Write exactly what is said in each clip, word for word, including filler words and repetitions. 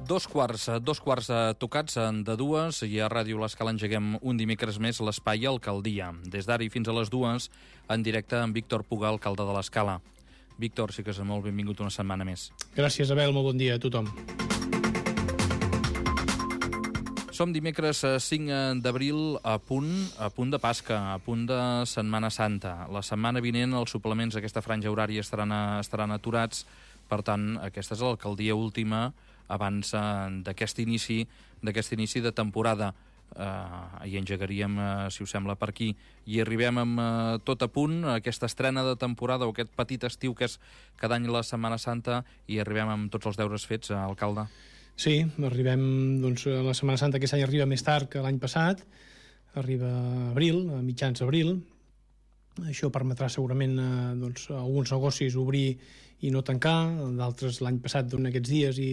Dos quarts, dos quarts tocats de dues i a Ràdio L'Escala engeguem un dimecres més l'espai Alcaldia. Des d'ara i fins a les dues, en directe amb Víctor Puga, alcalde de l'Escala. Víctor, sí que és molt benvingut una setmana més. Gràcies, Abel, molt bon dia a tothom. Som dimecres cinc d'abril a punt, a punt de Pasca, a punt de Setmana Santa. La setmana vinent els suplements d'aquesta franja horària estaran, estaran aturats, per tant, aquesta és l'alcaldia última abans eh, d'aquest inici d'aquest inici de temporada. Eh, i engegaríem, eh, si us sembla, per aquí. I arribem amb eh, tot a punt, aquesta estrena de temporada o aquest petit estiu que és cada any la Setmana Santa, i arribem amb tots els deures fets, eh, alcalde. Sí, arribem, doncs, a la Setmana Santa aquest any arriba més tard que l'any passat, arriba a abril, a mitjans d'abril. Això permetrà segurament eh, doncs, alguns negocis obrir i no tancar, d'altres l'any passat durant aquests dies i,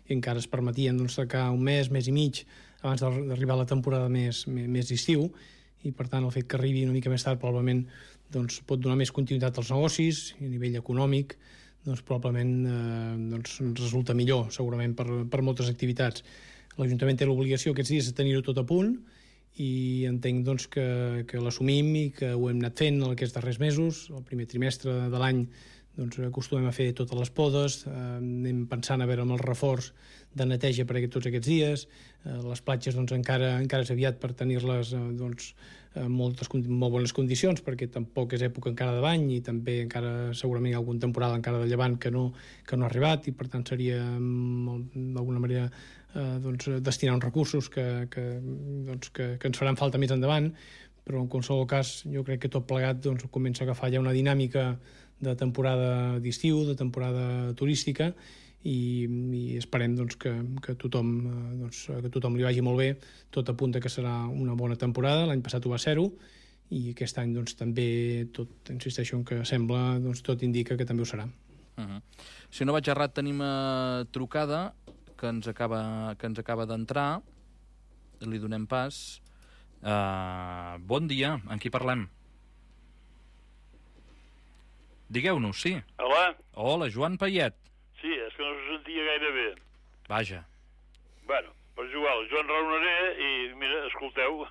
i encara es permetien doncs, tancar un mes, mes i mig abans d'arribar a la temporada més, més, més d'estiu, i per tant el fet que arribi una mica més tard probablement doncs, pot donar més continuïtat als negocis i a nivell econòmic doncs, probablement eh, doncs, resulta millor segurament per, per moltes activitats. L'Ajuntament té l'obligació aquests dies de tenir-ho tot a punt i entenc doncs, que, que l'assumim i que ho hem anat fent aquests darrers mesos. El primer trimestre de l'any doncs, acostumem a fer totes les podes, eh, anem pensant a veure amb el reforç de neteja per aquest, tots aquests dies. Eh, les platges doncs, encara, encara és aviat per tenir-les eh, doncs, en moltes, molt bones condicions, perquè tampoc és època encara de bany i també encara segurament hi ha alguna temporada encara de llevant que no, que no ha arribat, i per tant seria d'alguna manera eh, doncs, destinar uns recursos que, que, doncs, que, que ens faran falta més endavant. Però en qualsevol cas jo crec que tot plegat doncs, comença a agafar ja una dinàmica de temporada d'estiu, de temporada turística, i, i esperem doncs, que, que, tothom, doncs, que tothom li vagi molt bé. Tot apunta que serà una bona temporada, l'any passat ho va ser-ho, i aquest any doncs, també tot, insisteixo en que sembla, doncs, tot indica que també ho serà. Uh-huh. Si no vaig errat, tenim uh, trucada que ens acaba, que ens acaba d'entrar, li donem pas. Uh, bon dia, amb qui parlem? Digueu-nos, sí. Hola. Hola, Joan Payet. Sí, és que no se sentia gaire bé. Vaja. Bueno, per igual, jo en raonaré i, mira, escolteu.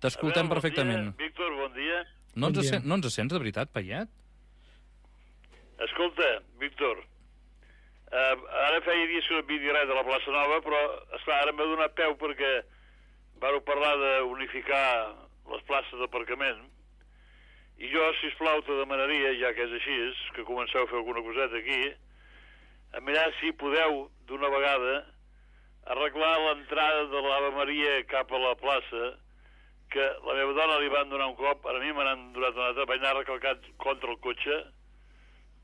T'escoltem veure, perfectament. Bon dia, Víctor, bon dia. No, bon ens dia. Sent, no ens sents, de veritat, Payet? Escolta, Víctor, uh, ara feia dies que no havia res de la plaça Nova, però, esclar, ara m'ha donat peu perquè vàreu parlar d'unificar les places d'aparcament, i jo, sisplau, te demanaria, ja que és així, que comenceu a fer alguna coseta aquí, a mirar si podeu, d'una vegada, arreglar l'entrada de l'Ave Maria cap a la plaça, que la meva dona li van donar un cop, a mi me n'han donat un altre, vaig anar recalcat contra el cotxe,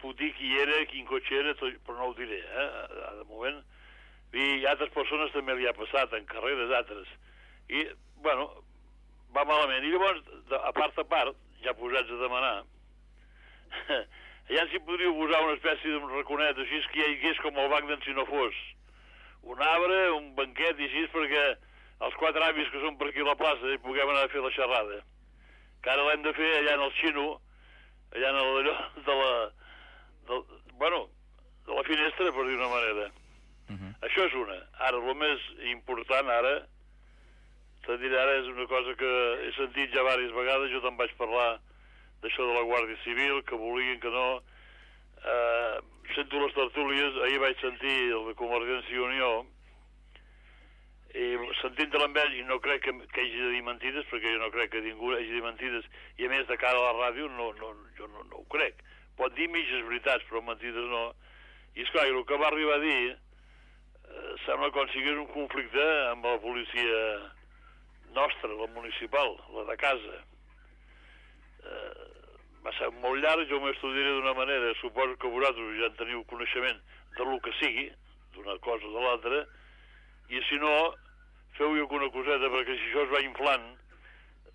puc dir qui era, quin cotxe era, però no ho diré, eh, de moment. I altres persones també li ha passat, en carreres altres. I, bueno, va malament. I llavors, de, a part a part, ja posats a demanar, allà si podríeu posar una espècie d'un raconet, així que hi hagués com el banc d'en si no fos. Un arbre, un banquet i així, perquè els quatre avis que són per aquí a la plaça hi puguem anar a fer la xerrada. Que ara l'hem de fer allà en el xino, allà en el, de la... De, bueno, de la finestra, per dir una manera. Uh-huh. Això és una. Ara, el més important ara, te diré, ara és una cosa que he sentit ja diverses vegades, jo te'n vaig parlar d'això de la Guàrdia Civil, que volien que no... Eh, sento les tertúlies, ahir vaig sentir el de Convergència i Unió, i sentint-te amb ell, i no crec que, que hagi de dir mentides, perquè jo no crec que ningú hagi de dir mentides, i a més de cara a la ràdio, no, no, jo no, no ho crec. Pot dir mitges veritats, però mentides no. I esclar, el que va arribar a dir eh, sembla com si hi hagués un conflicte amb la policia nostra, la municipal, la de casa. Eh, va ser molt llarg, jo m'ho estudiaré d'una manera, suposo que vosaltres ja en teniu coneixement de lo que sigui, d'una cosa o de l'altra, i si no, feu-hi alguna coseta, perquè si això es va inflant,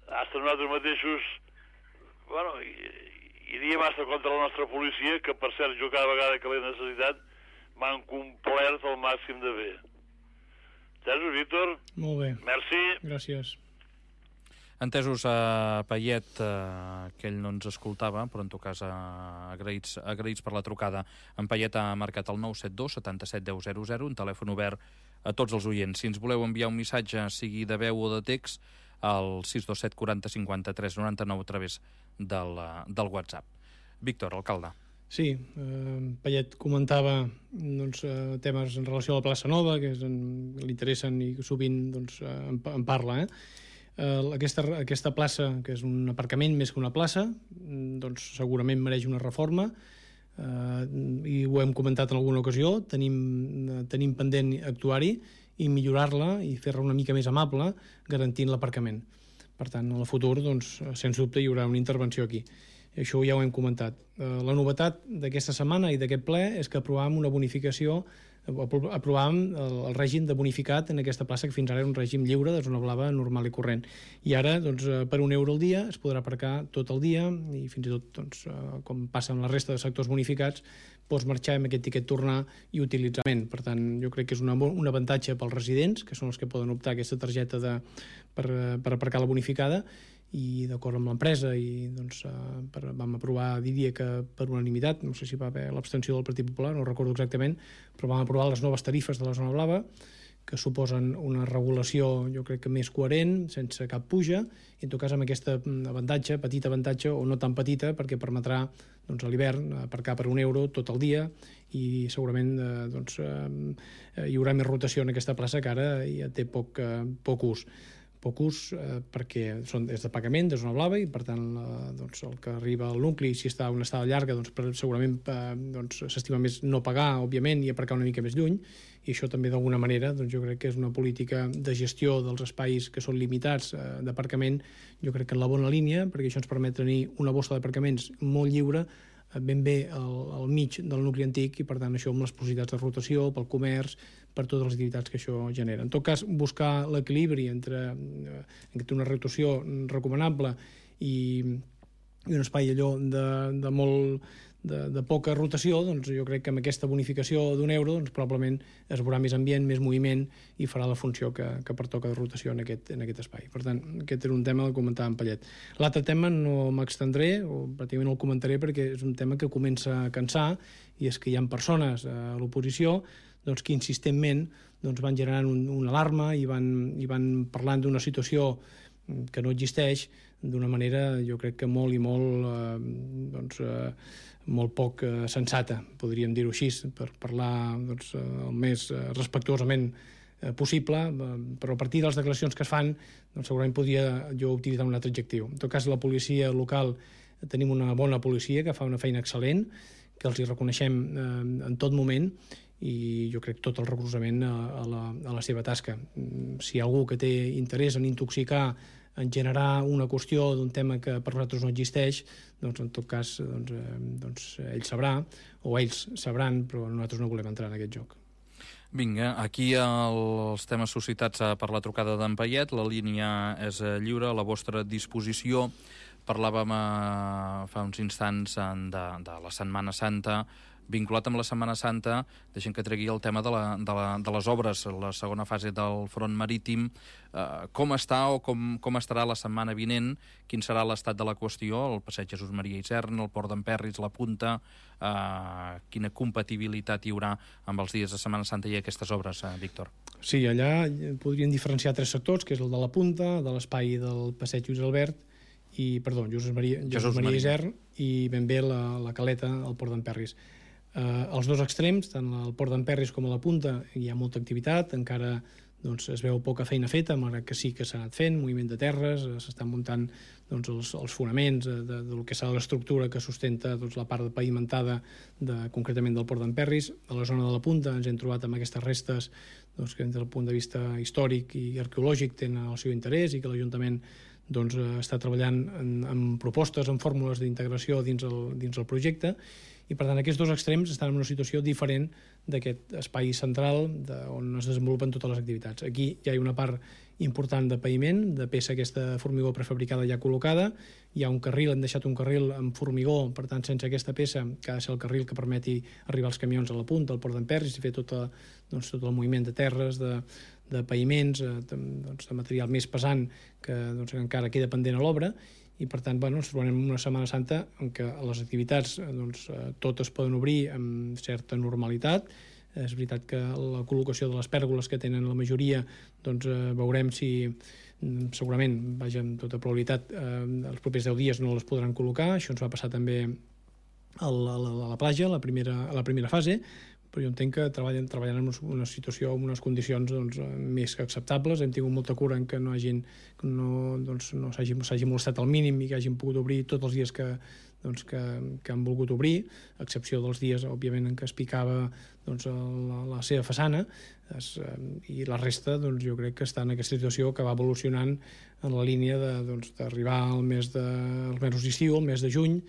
hasta nosaltres mateixos, bueno, iríem hasta contra la nostra policia, que per cert, jo cada vegada que l'he necessitat, m'han complert el màxim de bé. Entesos, Víctor? Molt bé. Merci. Gràcies. Entesos, a Payet, eh, que ell no ens escoltava, però en tot cas eh, agraïts, agraïts per la trucada. En Payet ha marcat el nou set dos set set deu zero zero, un telèfon obert a tots els oients. Si ens voleu enviar un missatge, sigui de veu o de text, al sis dos set quaranta cinquanta tres noranta nou a través del, del WhatsApp. Víctor, alcalde. Sí, eh, Payet comentava doncs, eh, temes en relació a la plaça Nova, que és en, li interessen i sovint doncs, en, en parla, eh? Uh, aquesta, aquesta plaça, que és un aparcament més que una plaça, doncs segurament mereix una reforma, uh, i ho hem comentat en alguna ocasió. Tenim, uh, tenim pendent actuar-hi i millorar-la i fer-la una mica més amable, garantint l'aparcament. Per tant, en el futur, doncs, sens dubte, hi haurà una intervenció aquí. I això ja ho hem comentat. Uh, la novetat d'aquesta setmana i d'aquest ple és que aprovàvem una bonificació, aprovàvem el, el règim de bonificat en aquesta plaça, que fins ara era un règim lliure de zona blava normal i corrent. I ara, doncs, per un euro al dia es podrà aparcar tot el dia i fins i tot, doncs, com passa amb la resta de sectors bonificats, pots marxar amb aquest tiquet, tornar i utilitzar. Per tant, jo crec que és una, un avantatge pels residents, que són els que poden optar a aquesta targeta de, per, per aparcar la bonificada, i d'acord amb l'empresa i doncs, per, vam aprovar, diria que per unanimitat, no sé si va haver l'abstenció del Partit Popular, no recordo exactament, però vam aprovar les noves tarifes de la zona blava, que suposen una regulació, jo crec que més coherent, sense cap puja, i en tot cas amb aquest avantatge, petit avantatge o no tan petita, perquè permetrà doncs, a l'hivern aparcar per un euro tot el dia, i segurament eh, doncs, eh, hi haurà més rotació en aquesta plaça, que ara ja té poc, eh, poc ús. poc ús eh, perquè són, és de pagament, de zona blava, i per tant eh, doncs, el que arriba al nucli, si està una estada llarga, doncs, per, segurament eh, doncs, s'estima més no pagar, òbviament, i aparcar una mica més lluny, i això també d'alguna manera doncs, jo crec que és una política de gestió dels espais que són limitats eh, d'aparcament, jo crec que en la bona línia, perquè això ens permet tenir una bossa d'aparcaments molt lliure, ben bé al, al mig del nucli antic, i per tant això amb les possibilitats de rotació, pel comerç, per totes les activitats que això genera. En tot cas, buscar l'equilibri entre, eh, entre una rotació recomanable i, i un espai allò de, de molt de, de poca rotació, doncs jo crec que amb aquesta bonificació d'un euro doncs probablement es veurà més ambient, més moviment, i farà la funció que, que pertoca de rotació en aquest, en aquest espai. Per tant, aquest era un tema que comentava en Payet. L'altre tema no m'extendré, o pràcticament no el comentaré, perquè és un tema que comença a cansar, i és que hi ha persones a l'oposició doncs, que insistentment doncs, van generant un, una alarma i van, i van parlant d'una situació que no existeix d'una manera, jo crec que molt i molt eh, doncs, eh, molt poc eh, sensata, podríem dir-ho així, per parlar doncs, el més eh, respectuosament eh, possible, eh, però a partir de les declaracions que es fan doncs, segurament podria jo utilitzar un altre adjectiu. En tot cas, la policia local, tenim una bona policia que fa una feina excel·lent, que els hi reconeixem eh, en tot moment, i jo crec tot el recolzament a, a, la, a la seva tasca. Si hi ha algú que té interès en intoxicar, en generar una qüestió d'un tema que per nosaltres no existeix, doncs en tot cas doncs, eh, doncs ell sabrà, o ells sabran, però nosaltres no volem entrar en aquest joc. Vinga, aquí el, els temes suscitats per la trucada d'en Payet, la línia és lliure, a la vostra disposició. Parlàvem eh, fa uns instants de, de la Setmana Santa. Vinculat amb la Setmana Santa, deixem que tregui el tema de, la, de, la, de les obres, la segona fase del front marítim. Eh, com està o com, com estarà la setmana vinent? Quin serà l'estat de la qüestió? El passeig Jesús Maria Isern, el port d'Emperris, la Punta, eh, quina compatibilitat hi haurà amb els dies de Setmana Santa i aquestes obres, eh, Víctor? Sí, allà podríem diferenciar tres sectors, que és el de la Punta, de l'espai del passeig Lluís Albert, i, perdó, Jesús Maria, Jesús Jesús Maria Isern, i ben bé la, la caleta al port d'Emperris. Uh, als dos extrems, tant al port d'Emperris com a la Punta, hi ha molta activitat, encara doncs, es veu poca feina feta, malgrat que sí que s'ha anat fent, moviment de terres, s'estan muntant doncs, els, els fonaments de, de, del que serà l'estructura que sustenta doncs, la part pavimentada de, concretament del port d'Emperris. A la zona de la Punta ens hem trobat amb aquestes restes doncs, que des del punt de vista històric i arqueològic tenen el seu interès, i que l'Ajuntament doncs, està treballant en, en propostes, en fórmules d'integració dins, el, dins el projecte. i per tant aquests dos extrems estan en una situació diferent d'aquest espai central de, on es desenvolupen totes les activitats. Aquí hi ha una part important de paviment, de peça aquesta formigó prefabricada ja col·locada, hi ha un carril, hem deixat un carril amb formigó, per tant sense aquesta peça, que ha de ser el carril que permeti arribar els camions a la punta, al port d'Emperris, i fer tot, doncs, tot el moviment de terres, de, de paviments, de, doncs, de material més pesant que doncs, encara queda pendent a l'obra, i per tant bueno, ens trobem en una Setmana Santa en què les activitats doncs, totes poden obrir amb certa normalitat. És veritat que la col·locació de les pèrgoles que tenen la majoria doncs, eh, veurem si segurament, vaja, amb tota probabilitat eh, els propers deu dies no les podran col·locar. Això ens va passar també a la, a la, a la platja, a la primera, a la primera fase, però jo entenc que treballen, treballen en una situació, en unes condicions doncs, més que acceptables. Hem tingut molta cura en que no hagin, no, doncs, no s'hagi, s'hagi molestat al mínim i que hagin pogut obrir tots els dies que, doncs, que, que han volgut obrir, a excepció dels dies, òbviament, en què es picava doncs, la, la seva façana, es, i la resta doncs, jo crec que està en aquesta situació que va evolucionant en la línia de, doncs, d'arribar al mes de, als mesos d'estiu, al mes de juny,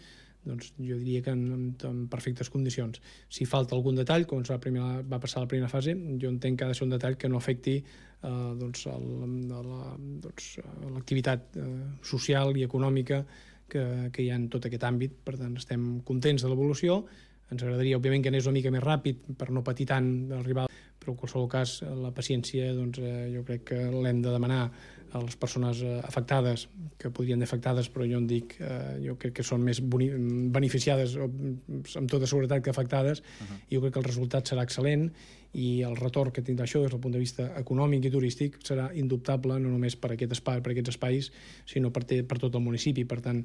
doncs jo diria que en, en perfectes condicions. Si falta algun detall, com va, primera, va passar la primera fase, jo entenc que ha de ser un detall que no afecti eh, doncs, el, la, doncs, l'activitat eh, social i econòmica que, que hi ha en tot aquest àmbit. Per tant, estem contents de l'evolució. Ens agradaria, òbviament, que anés una mica més ràpid per no patir tant d'arribar, però en qualsevol cas la paciència doncs, eh, jo crec que l'hem de demanar a les persones afectades, que podrien ser afectades, però jo en dic, eh, jo crec que són més beneficiades o, amb tota seguretat que afectades, uh-huh. i jo crec que el resultat serà excel·lent i el retorn que tindrà això des del punt de vista econòmic i turístic serà indubtable, no només per, aquest espai, per aquests espais, sinó per, te, per tot el municipi. Per tant,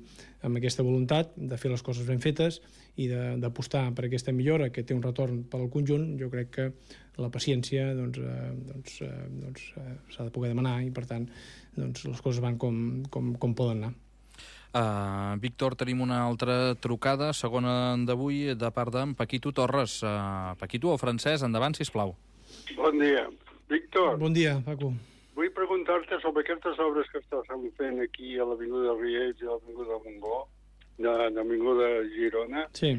amb aquesta voluntat de fer les coses ben fetes i d'apostar per aquesta millora que té un retorn pel conjunt, jo crec que la paciència doncs, eh, doncs, eh, doncs, eh, s'ha de poder demanar i, per tant, doncs, les coses van com, com, com poden anar. Uh, Víctor, tenim una altra trucada, segona d'avui, de part d'en Paquito Torres. Uh, Paquito, o Francesc, endavant, sisplau. Bon dia. Víctor. Bon dia, Paco. Vull preguntar-te sobre aquestes obres que estàs fent aquí a l'Avinguda Riells i a l'Avinguda Montgó, de l'Avinguda Girona. Sí.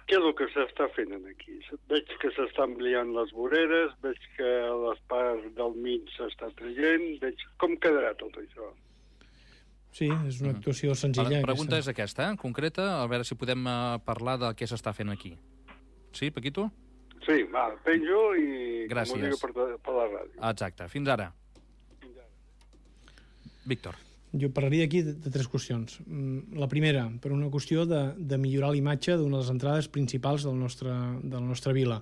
Què és el que s'està fent aquí? Veig que s'estan ampliant les voreres, veig que les parts del mig s'està traient, veig com quedarà tot això. Sí, és una actuació senzilla. La pregunta aquesta. és aquesta, eh? concreta, a veure si podem uh, parlar de què s'està fent aquí. Sí, Paquito? Sí, va, penjo i Gràcies. comunico per, per la ràdio. Exacte, fins ara. Fins ara. Víctor. Jo parlaria aquí de, de tres qüestions. La primera, per una qüestió de, de millorar la imatge d'una de les entrades principals del nostre, de la nostra vila,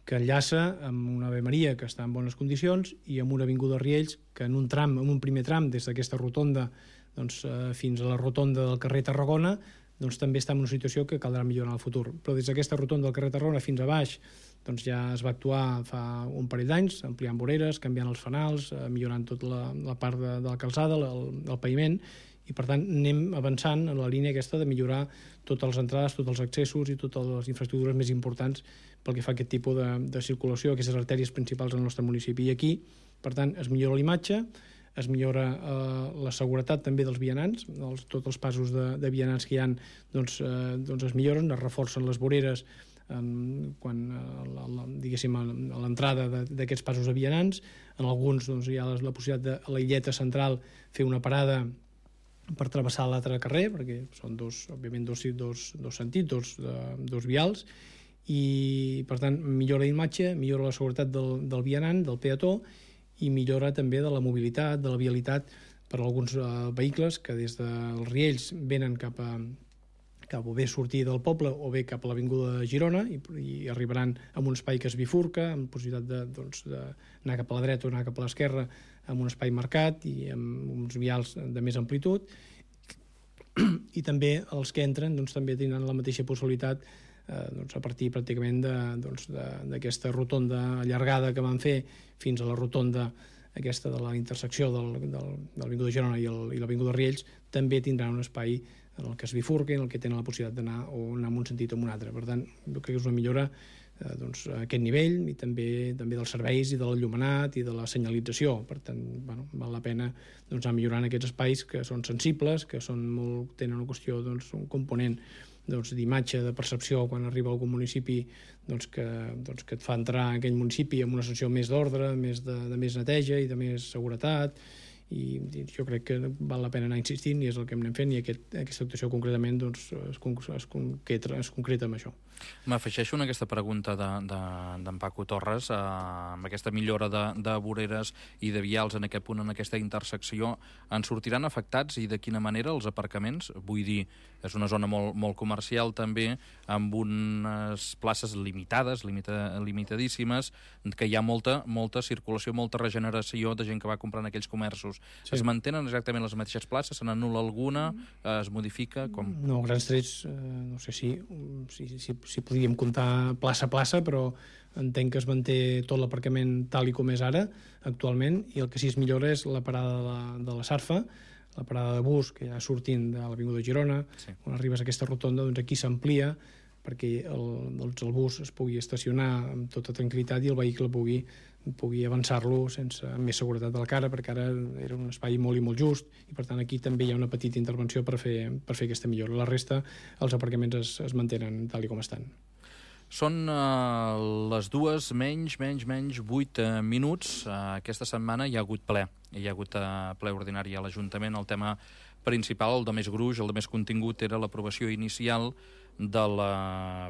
que enllaça amb una Ave Maria que està en bones condicions i amb una avinguda Riells que en un tram, en un primer tram, des d'aquesta rotonda doncs, eh, fins a la rotonda del carrer Tarragona, doncs també està en una situació que caldrà millorar en el futur. Però des d'aquesta rotonda del carrer Tarragona fins a baix doncs ja es va actuar fa un parell d'anys, ampliant voreres, canviant els fanals, eh, millorant tota la, la part de, de la calçada, el, el paviment, i per tant anem avançant en la línia aquesta de millorar totes les entrades, tots els accessos i totes les infraestructures més importants pel que fa a aquest tipus de, de circulació, aquestes artèries principals del nostre municipi. I aquí, per tant, es millora l'imatge, es millora eh, la seguretat també dels vianants, els, tots els passos de, de vianants que hi ha doncs, eh, doncs es milloren, es reforcen les voreres eh, quan, eh, la, la, diguéssim, a l'entrada d'aquests passos de vianants. En alguns doncs, hi ha la, la possibilitat de a la illeta central fer una parada per travessar l'altre carrer, perquè són dos, òbviament dos, dos, dos sentits, dos, de, dos vials, i per tant millora l'imatge, millora la seguretat del, del vianant, del peató, i millora també de la mobilitat, de la vialitat per a alguns eh, vehicles que des dels Riells venen cap a, cap a bé sortir del poble o bé cap a l'avinguda de Girona i, i arribaran a un espai que es bifurca, amb possibilitat de, doncs, d'anar cap a la dreta o anar cap a l'esquerra amb un espai marcat i amb uns vials de més amplitud. I també els que entren doncs, també tindran la mateixa possibilitat eh, doncs, a partir pràcticament d'aquesta doncs, rotonda allargada que van fer fins a la rotonda aquesta de la intersecció del, del, de l'Avinguda de Girona i, el, i l'Avinguda de Riells, també tindran un espai en el que es bifurquen, en el que tenen la possibilitat d'anar o anar en un sentit o en un altre. Per tant, jo crec que és una millora eh, doncs, a aquest nivell i també també dels serveis i de l'enllumenat i de la senyalització. Per tant, bueno, val la pena doncs, anar millorant aquests espais que són sensibles, que són molt, tenen una qüestió, doncs, un component doncs, d'imatge, de percepció, quan arriba a algun municipi doncs, que, doncs, que et fa entrar en aquell municipi amb una sensació més d'ordre, més de, de més neteja i de més seguretat, i jo crec que val la pena anar insistint i és el que anem fent, i aquest, aquesta actuació concretament doncs, es, es, concreta, es concreta amb això. M'afegeixo en aquesta pregunta d'en de, de, Paco Torres, eh, amb aquesta millora de, de voreres i de vials en aquest punt, en aquesta intersecció, en sortiran afectats i de quina manera els aparcaments? Vull dir, és una zona molt, molt comercial també, amb unes places limitades, limita, limitadíssimes, que hi ha molta, molta circulació, molta regeneració de gent que va comprant aquells comerços. Sí. Es mantenen exactament les mateixes places? Se n'anul·la alguna? Es modifica? Com? No, grans trets, eh, no sé si, si, si, si podríem comptar plaça a plaça, però entenc que es manté tot l'aparcament tal i com és ara, actualment, i el que sí es millora és la parada de la, de la Sarfa, la parada de bus, que ja sortint de l'Avinguda Girona, sí. Quan arribes a aquesta rotonda, doncs aquí s'amplia perquè el, doncs el bus es pugui estacionar amb tota tranquil·litat i el vehicle pugui, pugui avançar-lo sense amb més seguretat de la cara, perquè ara era un espai molt i molt just, i per tant aquí també hi ha una petita intervenció per fer, per fer aquesta millora. La resta, els aparcaments es, es mantenen tal i com estan. Són uh, les dues menys, menys, menys, vuit uh, minuts. Uh, aquesta setmana hi ha hagut ple. Hi ha hagut uh, ple ordinari a l'Ajuntament. El tema principal, el de més gruix, el de més contingut, era l'aprovació inicial del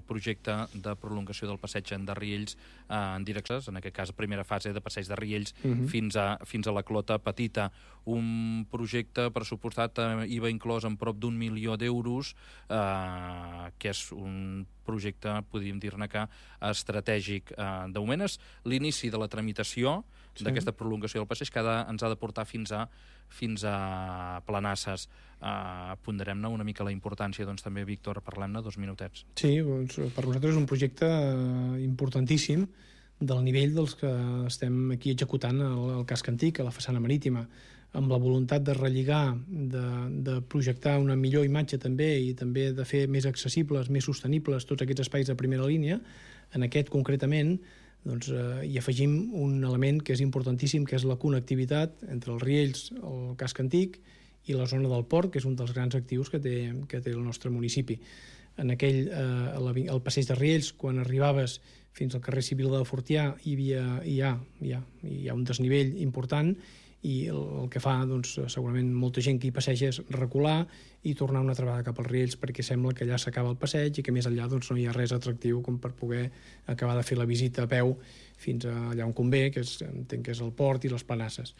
projecte de prolongació del passeig de Riells eh, en direccions, en aquest cas primera fase de passeig de Riells uh -huh. fins, a, fins a la Clota Petita. Un projecte pressupostat, eh, I V A inclòs, en prop d'un milió d'euros, eh, que és un projecte, podríem dir-ne que estratègic. Eh, de moment és l'inici de la tramitació sí. d'aquesta prolongació del passeig, que ha de, ens ha de portar fins a fins a Planasses. Uh, ponderem-ne una mica la importància, doncs també, Víctor, parlem-ne dos minutets. Sí, doncs, per nosaltres és un projecte importantíssim del nivell dels que estem aquí executant al casc antic, a la façana marítima, amb la voluntat de relligar, de, de projectar una millor imatge també i també de fer més accessibles, més sostenibles tots aquests espais de primera línia. En aquest, concretament, doncs, eh, hi afegim un element que és importantíssim, que és la connectivitat entre els Riells, el casc antic, i la zona del port, que és un dels grans actius que té, que té el nostre municipi. En aquell, eh, el passeig de Riells, quan arribaves fins al carrer Civil de Fortià, hi, havia, hi, ha, hi, ha, hi ha un desnivell important, i el, el que fa, doncs, segurament molta gent que hi passeja és recular i tornar una altra vegada cap als Riells, perquè sembla que allà s'acaba el passeig i que més enllà doncs, no hi ha res atractiu com per poder acabar de fer la visita a peu fins allà on convé, que és, entenc que és el port i les Planasses.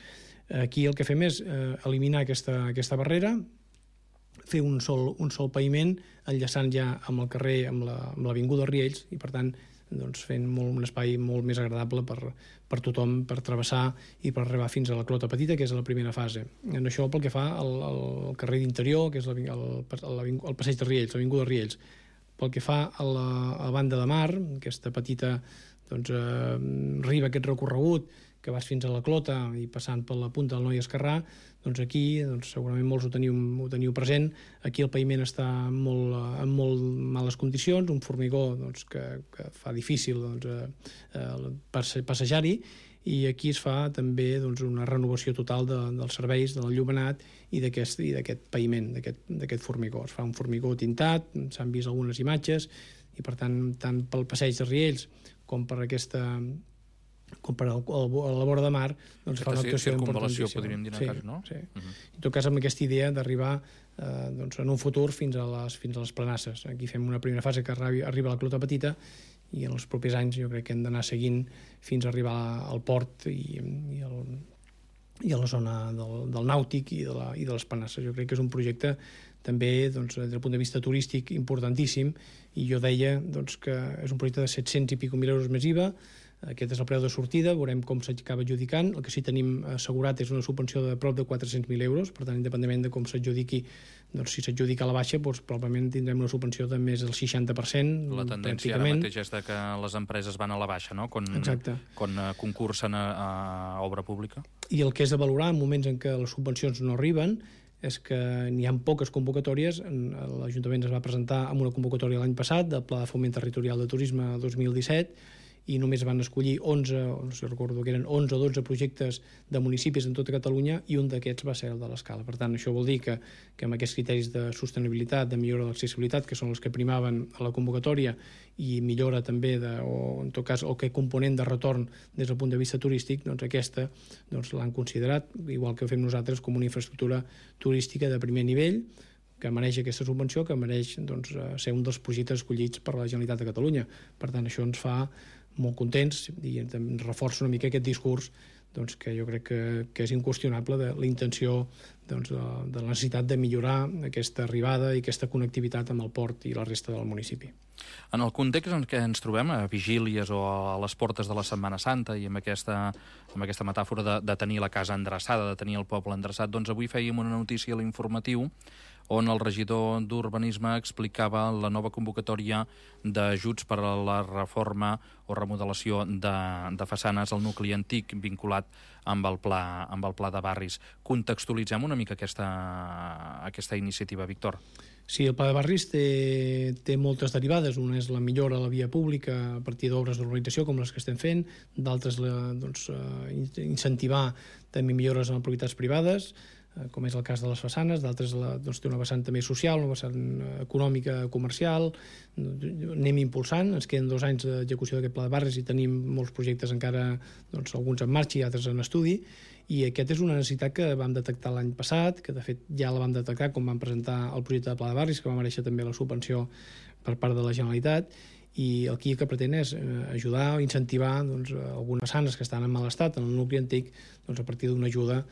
Aquí el que fem és eh, eliminar aquesta, aquesta barrera, fer un sol, un sol paviment, enllaçant ja amb el carrer, amb l'Avinguda la, Riells, i per tant doncs, fent molt, un espai molt més agradable per, per tothom, per travessar i per arribar fins a la Clota Petita, que és la primera fase. En això pel que fa al, al carrer d'Interior, que és el, el, el, el passeig de Riells, l'Avinguda Riells. Pel que fa a la, a la banda de mar, aquesta petita doncs, eh, riba, aquest recorregut, que vas fins a la Clota i passant per la punta del Noi Esquerrà, doncs aquí doncs segurament molts ho teniu, ho teniu present. Aquí el paviment està molt, en molt males condicions, un formigó doncs, que, que fa difícil doncs, eh, passejar-hi, i aquí es fa també doncs, una renovació total de, dels serveis, de l'enllumenat i d'aquest paviment, d'aquest formigó. Es fa un formigó tintat, s'han vist algunes imatges, i per tant, tant pel passeig de Riells com per aquesta... com per al, al, a la vora de mar, doncs fa una actuació importantíssima. Podríem dir, sí, cas, no? Sí. Uh-huh. En tot cas, amb aquesta idea d'arribar eh, doncs, en un futur fins a, les, fins a les Planasses. Aquí fem una primera fase que arriba, arriba a la Clota Petita, i en els propers anys jo crec que hem d'anar seguint fins a arribar al port i, i, el, i a la zona del, del nàutic i de, la, i de les Planasses. Jo crec que és un projecte també, doncs, des del punt de vista turístic, importantíssim, i jo deia doncs, que és un projecte de set-cents i pico mil euros més I V A. Aquest és el preu de sortida, veurem com s'acaba adjudicant. El que sí tenim assegurat és una subvenció de prop de quatre-cents mil euros, per tant, independentment de com s'adjudiqui, doncs si s'adjudica a la baixa, doncs probablement tindrem una subvenció de més del seixanta per cent. La tendència ara mateix és que les empreses van a la baixa, no? Quan, Exacte. Quan concursen a, a obra pública. I el que és de valorar en moments en què les subvencions no arriben és que n'hi ha poques convocatòries. L'Ajuntament es va presentar amb una convocatòria l'any passat del Pla de Foment Territorial de Turisme dos mil disset, i només van escollir onze, no sé, recordo que eren onze o dotze projectes de municipis en tota Catalunya, i un d'aquests va ser el de l'Escala. Per tant, això vol dir que, que amb aquests criteris de sostenibilitat, de millora de l'accessibilitat, que són els que primaven a la convocatòria, i millora també, de, o en tot cas, o que component de retorn des del punt de vista turístic, doncs aquesta doncs, l'han considerat, igual que ho fem nosaltres, com una infraestructura turística de primer nivell, que mereix aquesta subvenció, que mereix doncs, ser un dels projectes escollits per la Generalitat de Catalunya. Per tant, això ens fa molt contents i ens reforça una mica aquest discurs doncs, que jo crec que, que és inqüestionable de la intenció doncs, de, de la necessitat de millorar aquesta arribada i aquesta connectivitat amb el port i la resta del municipi. En el context en què ens trobem, a vigílies o a les portes de la Setmana Santa, i amb aquesta, amb aquesta metàfora de, de tenir la casa endreçada, de tenir el poble endreçat, doncs avui fèiem una notícia a l'informatiu on el regidor d'Urbanisme explicava la nova convocatòria d'ajuts per a la reforma o remodelació de, de façanes al nucli antic vinculat amb el pla, amb el pla de barris. Contextualitzem una mica aquesta, aquesta iniciativa, Víctor. Sí, el pla de barris té, té moltes derivades. Una és la millora a la via pública a partir d'obres d'urbanització com les que estem fent, d'altres doncs, incentivar també millores en propietats privades, com és el cas de les façanes, d'altres doncs, té una vessant també social, una vessant econòmica, comercial. Anem impulsant, ens queden dos anys d'execució d'aquest pla de barris i tenim molts projectes encara, doncs, alguns en marxa i altres en estudi, i aquest és una necessitat que vam detectar l'any passat, que de fet ja la vam detectar quan vam presentar el projecte de pla de barris, que va mereixer també la subvenció per part de la Generalitat, i aquí el que pretén és ajudar o incentivar doncs, algunes façanes que estan en mal estat en el nucli antic, doncs, a partir d'una ajuda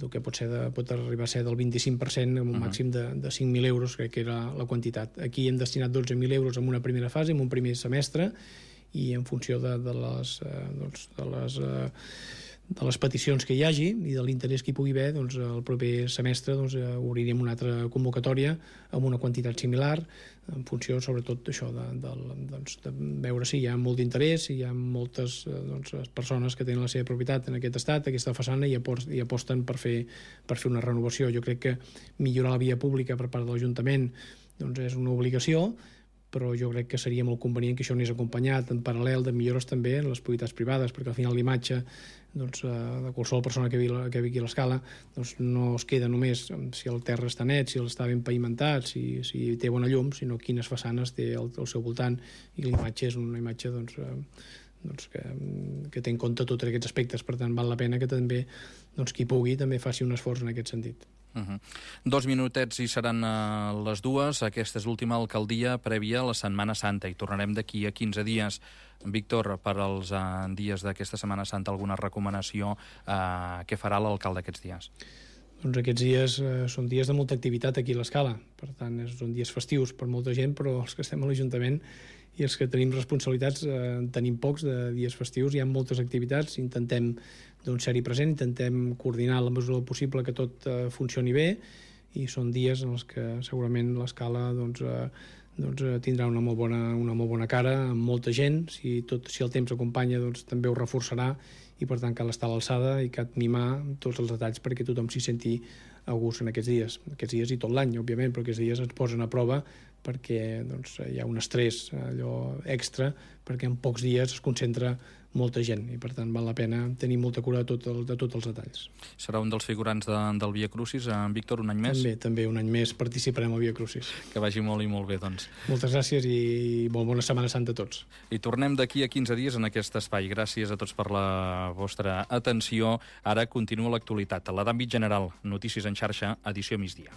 que pot, ser de, pot arribar a ser del vint-i-cinc per cent amb un uh-huh. màxim de, de cinc mil euros, crec que era la quantitat. Aquí hem destinat dotze mil euros en una primera fase, en un primer semestre, i en funció de, de les, eh, doncs, de les eh, de les peticions que hi hagi i de l'interès que hi pugui haver, doncs, el proper semestre doncs, obrirem una altra convocatòria amb una quantitat similar, en funció sobretot d'això, de, de, doncs, de veure si hi ha molt d'interès, si hi ha moltes doncs, persones que tenen la seva propietat en aquest estat, aquesta façana, i, apost, i aposten per fer, per fer una renovació. Jo crec que millorar la via pública per part de l'Ajuntament doncs, és una obligació, però jo crec que seria molt convenient que això anés acompanyat en paral·lel de millores també en les propietats privades, perquè al final l'imatge doncs, de qualsevol persona que vigui, que vigui a l'Escala doncs, no es queda només si el terra està net, si està ben pavimentat, si, si té bona llum, sinó quines façanes té al, al seu voltant, i l'imatge és una imatge doncs, doncs, que, que té en compte tots aquests aspectes. Per tant, val la pena que també doncs, qui pugui també faci un esforç en aquest sentit. Uh-huh. Dos minutets i seran uh, les dues. Aquesta és l'última alcaldia prèvia a la Setmana Santa i tornarem d'aquí a quinze dies. Víctor, per als uh, dies d'aquesta Setmana Santa, alguna recomanació? Uh, què farà l'alcalde aquests dies? Doncs aquests dies eh, són dies de molta activitat aquí a l'Escala. Per tant, són dies festius per molta gent, però els que estem a l'Ajuntament i els que tenim responsabilitats eh, tenim pocs de dies festius. Hi ha moltes activitats, intentem doncs, ser-hi present, intentem coordinar la mesura del possible que tot eh, funcioni bé, i són dies en els que segurament l'Escala doncs, eh, doncs, tindrà una molt, bona, una molt bona cara amb molta gent. Si, tot, si el temps acompanya doncs, també ho reforçarà, i per tant cal estar a l'alçada i cal mimar tots els detalls perquè tothom s'hi senti a gust en aquests dies. Aquests dies i tot l'any, òbviament, però aquests dies ens posen a prova perquè doncs, hi ha un estrès allò extra, perquè en pocs dies es concentra molta gent, i per tant val la pena tenir molta cura de, tot el, de tots els detalls. Serà un dels figurants de, del Via Crucis, en Víctor, un any més? També, també un any més participarem al Via Crucis. Que vagi molt i molt bé, doncs. Moltes gràcies i molt bona Setmana Santa a tots. I tornem d'aquí a quinze dies en aquest espai. Gràcies a tots per la vostra atenció. Ara continua l'actualitat, la d'àmbit general. Notícies en xarxa, edició migdia.